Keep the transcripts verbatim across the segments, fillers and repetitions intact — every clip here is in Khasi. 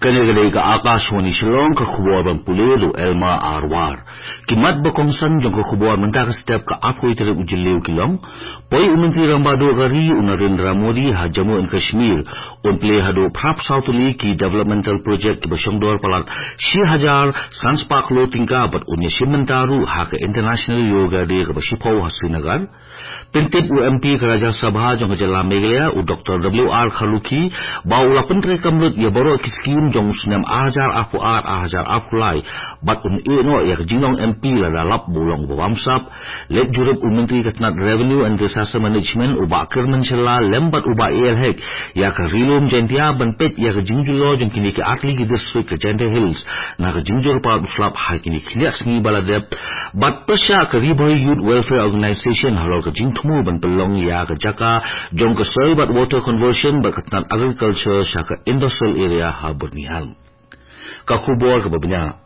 Kane ka dei ka Akashvani Shillong, ka khubor ban pule da u Elma Arwar. Ki mat ba kongsan jong ka khubor mynta ka step ka arphew tarik u Jylliew ki long: Poi u Myntri Rangbah Duh ka ri u Narendra Modi ha Jammu and Kashmir. Un plie haduh phra phew saw tylli ki developmental project kiba shongdor palat shi hajar san spah klur tyngka bad un ïashim bynta ruh ha ka International Yoga Day kaba shiphew ha Srinagar. Pyntip u M P ka Rajya Sabha jong ka jylla Meghalaya u Doctor W R Kharlukhi ba u la pyntreikam lut ïa baroh ki skim jong u snem ar hajar arphew ar ar hajar arphew lai bad un ïeh noh ïa ka jinglong M P lada lap ba u long uba bamsap. Leit jurip u Myntri ka tnat Revenue and Disaster Management u Bah Kyrmen Shylla lem bad u Bah A L Hek ïa ka Ri-lum Jaintia ban peit ïa ka jingjulor jong kine ki artylli ki district ka Jaintia Hills na ka jingjur palat u slap ha kine ki khyndiat sngi ba la dep. Bad pyrshah ka Ri Bhoi Youth Welfare Organisation halor ka jingthmu ban pynlong ïa ka jaka jong ka soil bad water conversion bad ka tnat agriculture sha ka industrial area ha Byrnihat. Ka khubor kaba bniah.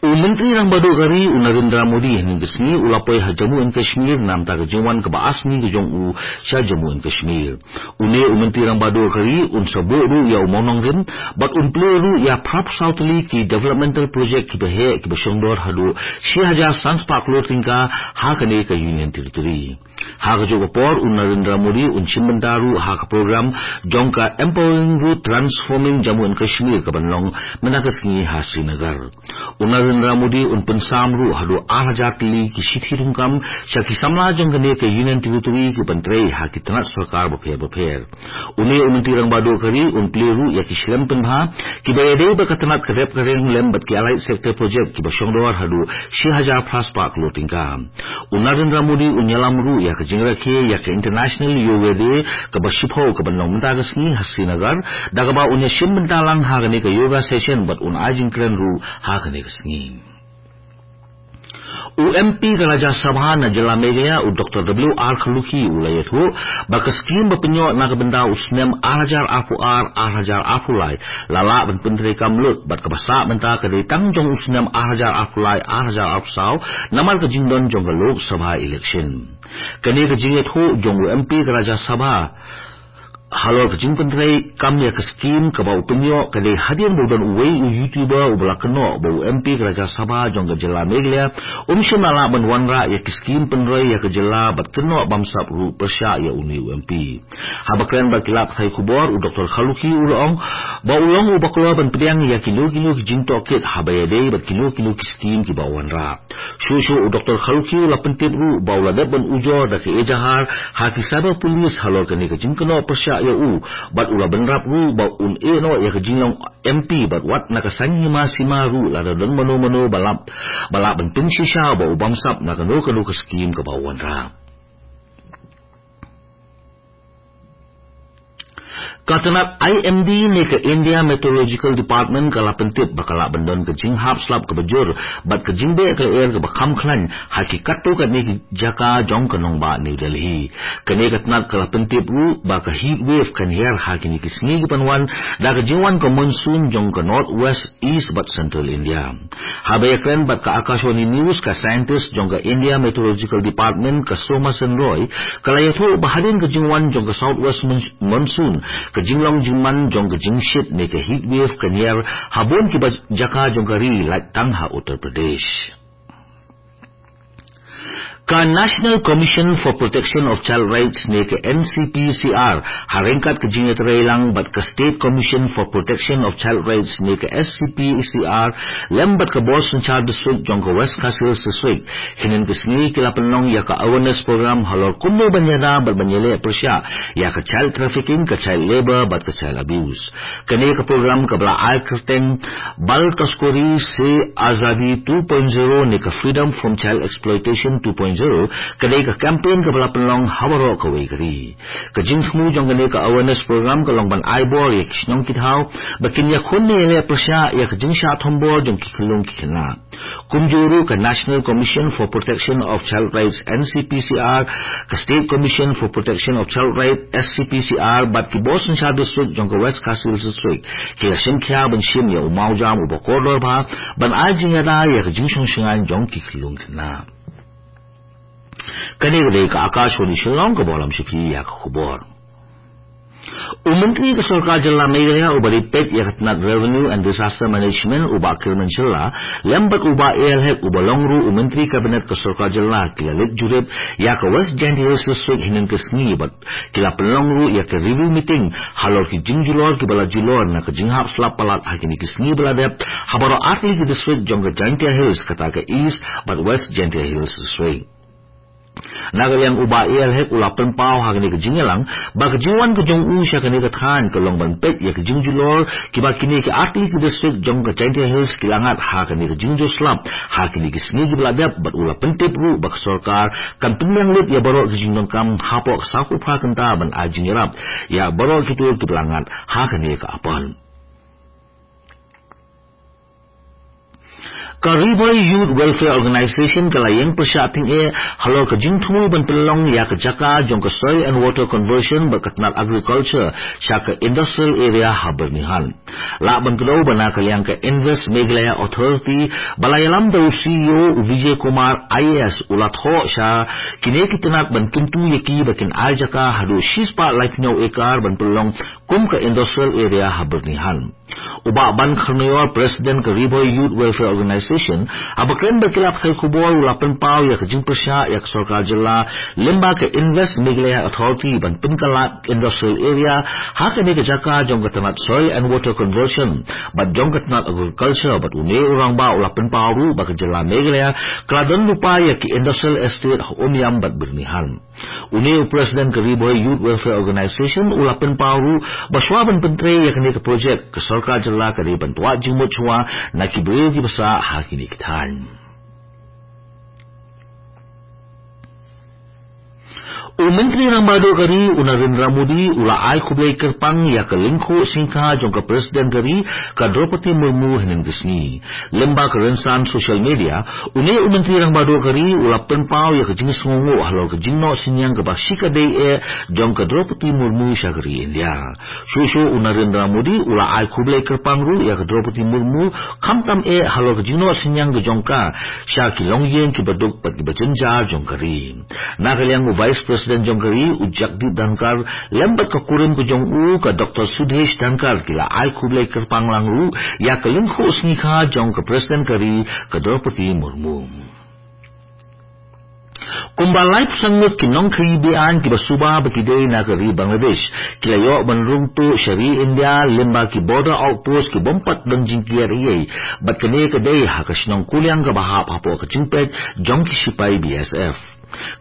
U Myntri Rangbah Duh ka ri u Narendra Modi hynnin ka sngi u la poi ha Jammu and Kashmir namta ka jingwan kaba ar sngi ka jong u sha Jammu and Kashmir. Une u Myntri Rangbah Duh ka ri un sa buh ruh ïa u mawnongrim bad un plie ruh ïa phra phew saw tylli ki developmental project kiba heh kiba shongdor haduh shi hajar san spah klur tyngka ha kane ka Union Territory. Ha kajuh ka por u Narendra Modi un shim bynta ruh ha ka program jong ka Empowering Rural Transforming Jammu and Kashmir kaban long mynta ka sngi ha Srinagar. U Narendra Modi un pynsam ruh haduh ar hajar tylli ki shithi thungkam sha ki samla jong kane ka Union Territory kiban trei ha ki tnat sorkar bapher bapher. Une u Myntri Rangbah Duh ka ri un plie ruh ïa ki shlem pynbha kiba ïadei bad ka tnat ka rep ka riang lem bad ki allied sector project kiba shongdor haduh shi hajar phra spah klur tyngka. U Narendra Modi un ïalam ruh ïa ka jingrakhe ïa ka International Yoga Day kaba shiphew kaban long mynta ka sngi ha Srinagar, da kaba un ïashim bynta lang ha kane ka yoga session bad un ai jingkren ruh ha kane ka sngi. U M P ka Rajya Sabha na jylla Meghalaya u Doctor W R Kharlukhi u la ïathuh ba ka skim ba pynïoh na ka bynta u snem ar hajar arphew ar ar hajar arphew lai la lah ban pyntreikam lut bad kaba sah mynta ka dei tang jong u snem ar hajar arphew lai ar hajar arphew saw namar ka jingdon jong ka Lok Sabha election. Kane ka jingïathuh jong u M P ka Rajya Sabha halor ka jingpyntreikam ïa ka skim kaba u pynïoh ka dei hadien ba u don uwei u YouTuber uba la kynnoh ba u M P ka Rajya Sabha jong ka jylla Meghalaya um shym la lah ban wanrah ïa ki skim pynroi ïa ka jylla bad kynnoh bamsap ruh pyrshah ïa une u M P. Haba kren bad ki lad pathai khubor u Doctor Kharlukhi u la ong ba u long uba kloi ban pdiang ïa kino kino ki jingtohkit haba ïadei bad kino kino ki skim kiba u wanrah. Shuh shuh u Doctor Kharlukhi u la pyntip ruh ba u la dep ban ujor da ka ejahar ha ki cyber police halor kane ka jingkynnoh pyrshah ïa u bad u la bynrap ruh ba un ïeh noh ïa ka jinglong M P bad wat na ka saiñ hima sima ruh lada don mano mano ba lah, ba lah ban pynshisha ba u bamsap na kano kano ka skim kaba u wanrah. Ka tnat I M D ne ka India Meteorological Department ka la pyntip ba ka lah ban don ka jinghap slap kaba jur bad ka jingbeh ka lyer kaba kham khlaiñ ha ki katto katne ki jaka jong ka nongbah New Delhi. Kane ka tnat ka la pyntip ruh ba ka heat wave kan hiar ha kine ki sngi kiban wan da ka jingwan ka monsoon jong ka north west, east bad central India. Haba ïakren bad ka Akashvani News ka scientist jong ka India Meteorological Department ka Soma Sen Roy ka la ïathuh ba hadien ka jingwan jong ka southwest mon-, monsoon ka jinglong jingman jong ka jingshit ne ka heat wave kan hiar ha bun kiba jaka jong ka ri lait tang ha Uttar Pradesh. Ka National Commission for Protection of Child Rights ne ka N C P C R ha ryngkat ka jingïatreilang bad ka State Commission for Protection of Child Rights ne ka S C P C R lem bad ka Bor Synshar District jong ka West Khasi Hills District hynnin ka sngi ki la pynlong ïa ka awareness program halor kumno ban ïada bad ban ïaleh pyrshah ïa ka child trafficking, ka child labour bad ka child abuse. Kane ka program kaba la ai kyrteng Bal Taskari se Azadi two point zero ne ka Freedom from Child Exploitation two point zero ka dei ka campaign kaba la pynlong ha baroh kawei ka ri. Ka jingthmu jong kane ka awareness program ka long ban ai bor ïa ki shnong ki thaw ba kin ïakhun ne ïaleh pyrshah ïa ka jingshah thombor jong ki khyllung ki khynnah. Kumjuh ruh ka National Commission for Protection of Child Rights, N C P C R, ka State Commission for Protection of Child Rights, S C P C R, bad ki Bor Synshar District jong ka West Khasi Hills District ki la shim khia ban shim ïa u mawjam uba kordor bha ban ai jingïada ïa ka jingshong shngaiñ jong ki khyllung khynnah. Kane ka dei ka Akashvani Shillong kaba lam sha phi ïa ka khubor. U Myntri ka Sorkar Jylla Meghalaya uba dei peit ïa ka tnat Revenue and Disaster Management, u Bah Kyrmen Shylla, lem bad u Bah A L Hek uba long ruh u Myntri Kabinet ka Sorkar Jylla ki la leit jurip ïa ka West Jaintia Hills District hynnin ka sngi bad ki la pynlong ruh ïa ka review meeting halor ki jingjulor kiba la julor na ka jinghap slap palat ha kine ki sngi ba la dep ha baroh artylli ki district jong ka Jaintia Hills, kata ka East bad West Jaintia Hills District. Na ka liang u Bah A L Hek u la pynpaw ha kane ka jingïalang ba ka jingwan ka jong u sha kane ka thaiñ ka long ban peit ïa ka jingjulor kiba kine ki artylli ki district jong ka Jaintia Hills ki la ngat ha kane ka jingjur slap ha kine ki sngi kiba la dep, bad u la pyntip ruh ba ka sorkar kan pynbiang lut ïa baroh ki jingdonkam hapoh ka sawphew phra kynta ban ai jingïarap ïa baroh kito kiba la ngat ha kane ka apot. Ka Ri Bhoi Youth Welfare Organization ka la ïeng pyrshah tyngeh halor ka jingthmu ban pynlong ïa ka jaka jong ka Soil and Water Conversion bad ka tnat Agriculture sha ka Industrial Area ha Byrnihat. Lah ban kdew ba na ka liang ka Invest Meghalaya Authority ba la ïalam da u C E O u Vijay Kumar I A S u la thoh sha kine ki tnat ban kyntu ïa ki ba kin ai jaka haduh shispah laiphew hynñiew ekar ban pynlong kum ka Industrial Area ha Byrnihat. U Bah Ban Kharnaior, President ka Ri Bhoi Youth Welfare Organization, haba kren bad ki lad pathai khubor u la pynpaw ïa ka jingpyrshah ïa ka sorkar jylla lyngba ka Invest Meghalaya Authority ban pynkylla Industrial Area ha kane ka jaka jong ka tnat Soil and Water Conversion bad jong ka tnat Agriculture, bad une u rangbah u la pynpaw ruh ba ka jylla Meghalaya ka la don lypa ïa ki Industrial Estate ha Umiam bad Byrnihat. Une u President ka Ri Bhoi Youth Welfare Organization u la pynpaw ruh ba shuwa ban pyntrei ïa kane ka project, ka sorkar jylla ka dei ban twad jingmut shuwa na ki briew kiba sah ha kine ki thaiñ. U Myntri Rangbah Duh ka ri u Narendra Modi u la ai khublei kyrpang ïa ka lyngkhuh sngikha jong ka President ka ri ka Droupadi Murmu hynnin ka sngi. Lyngba ka rynsan social media, une u Myntri Rangbah Duh ka ri u la pynpaw ïa ka jingsngewnguh halor ka jingnoh synñiang kaba shikatdei eh jong ka Droupadi Murmu sha ka ri India. Shuh shuh u Narendra Modi u la ai khublei kyrpang ruh ïa ka Droupadi Murmu khamtam eh halor ka jingnoh synñiang ka jong ka sha ki longïing kiba duk bad kiba jynjar jong ka ri. Na ka liang u Vice President jong ka ri u Jagdeep Dhankhar lem bad ka kurim ka jong u ka Doctor Sudhesh Dhankhar ki la ai khublei kyrpang lang ruh ïa ka lyngkhuh sngikha jong ka President ka ri ka Droupadi Murmu. Kumba laiphew san ngut ki nongkhaïi be-aiñ kiba suba ba ki dei na ka ri Bangladesh ki la ïoh ban rung tuh sha ri India lyngba ki border outpost ki bym pat don jingkiar ei, bad kane ka dei ha ka shnong Kuliang kaba hap hapoh ka jingpeit jong ki shipai B S F.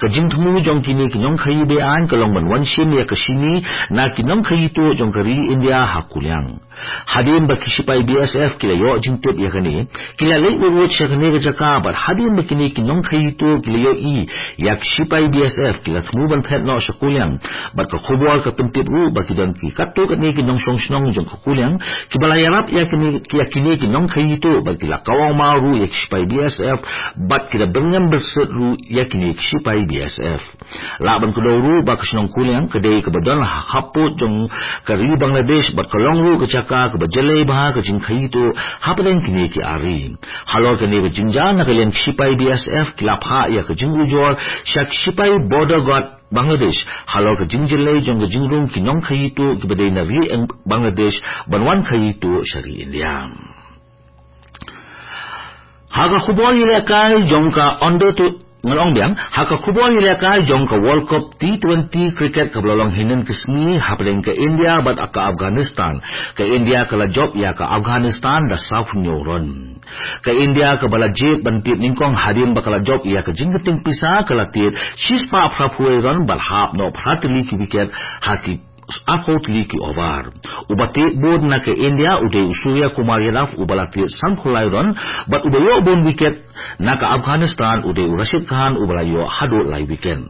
Ka jingthmu jong kine ki nongkhaïi be-aiñ ka long ban wan shim ïa ka shini na ki nongkhaïi tuh jong ka ri India ha Kuliang. Hadien ba ki shipai B S F ki la ïoh jingtip ïa kane, ki la leit wut wut sha kane ka jaka, bad hadien ba kine ki nongkhaïi tuh ki la ïohi ïa ki shipai B S F ki la thmu ban phet noh sha Kuliang, bad ka khubor ka pyntip ruh ba ki don ki katto katne ki nongshong shnong jong ka Kuliang kiba la ïarap ïa kine, ïa kine ki nongkhaïi tuh, bad ki la kawang maw ruh ïa ki shipai B S F, bad ki la byrngem byrsit ruh ïa kine ki shipai B S F. Lah ban kdew ruh ba ka shnong Kuliang ka dei kaba don ha khappud jong ka ri Bangladesh, bad ka long ruh ka jaka kaba jyllei bha ka jingkhaïi tuh hapdeng kine ki ar ri. Halor kane ka jingjia na ka liang ki shipai B S F ki la phah ïa ka jingujor sha ki shipai Border Guard Bangladesh halor ka jingjyllei jong ka jingrung ki nongkhaïi tuh kiba dei na ri Bangladesh ban wan khaïi tuh sha ri India. Ha ka khubor ïalehkai jong ka under to, ngan ong biang, ha ka khubor ïalehkai jong ka World Cup T twenty cricket kaba la long hynnin ka sngi hapdeng ka India bad ka Afghanistan, ka India ka la jop ïa ka Afghanistan da sawphew hynñiew run. Ka India kaba la jied ban tied nyngkong hadien ba ka la jop ïa ka jingkynting pisa ka la tied shispah phraphew wei run bad hap noh phra tylli ki wicket ha ki arphew tylli ki over. Uba tied bun na ka India u dei u Surya Kumar Yadav uba la tied sanphew lai run, bad uba ïoh bun wicket na ka Afghanistan u dei u Rashid Khan uba la ïoh haduh lai wicket.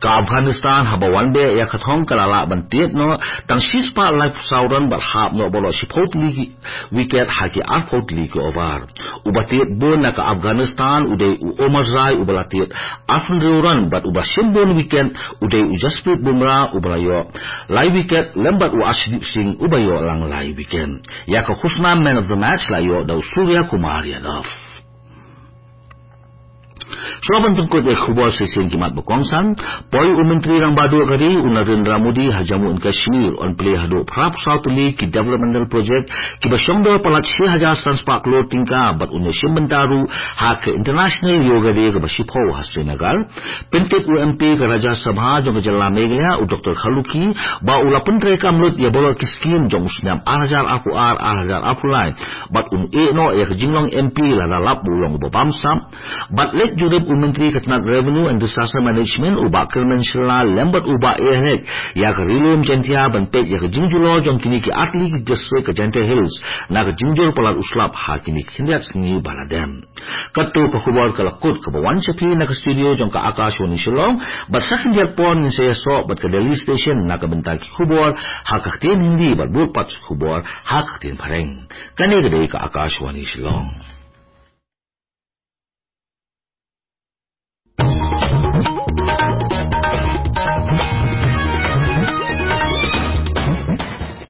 Ka Afghanistan haba wan beh ïa ka thong ka la lah ban tied noh tang shispah laiphew saw run bad hap noh baroh shiphew tylli ki wicket ha ki arphew tylli ki over. Uba tied bun na ka Afghanistan u dei u Omarzai uba la tied arphew hynriew run, bad uba shim bun wicket u dei u Jasprit Bumrah uba la ïoh lai wicket, lem bad u Arshdeep Singh uba ïoh lang lai wicket. Ïa ka khusnam man of the match la ïoh da u Surya Kumar Yadav. Shuwa ban pynkut ïa ki khubor shisien ki mat ba kongsan, poi u Myntri Rangbah Duh ka ri u Narendra Modi ha Jammu and Kashmir, un plie haduh phra phew saw tylli ki developmental project kiba shongdor palat shi hajar san spah klur tyngka bad un ïashim bynta ruh ha ka International Yoga Day kaba shiphew ha Srinagar. Pyntip u M P ka Rajya Sabha jong ka jylla Meghalaya u Doctor Kharlukhi ba u la pyntreikam lut ïa baroh ki skim jong u snem ar hajar arphew ar, ar hajar arphew lai bad un ïeh noh ïa ka jinglong M P lada lap ba u long uba bamsap. Bad leit jurip u Myntri ka tnat Revenue and Disaster Management u Bah Kyrmen Shylla lem bad u Bah A Hek ïa ka Ri-lum Jaintia ban peit ïa ka jingjulor jong kine ki artylli ki district ka Jaintia Hills na ka jingjur palat u slap ha kine ki khyndiat sngi ba la dep. Katto ka khubor ka la kut kaba wan sha phi na ka studio jong ka Akashvani Shillong, bad sa khyndiat por ngin sa ïasoh bad ka Delhi Station na ka bynta ki khubor ha ka ktien Hindi bad bud pat ki khubor ha ka ktien Phareng. Kane ka dei ka Akashvani Shillong.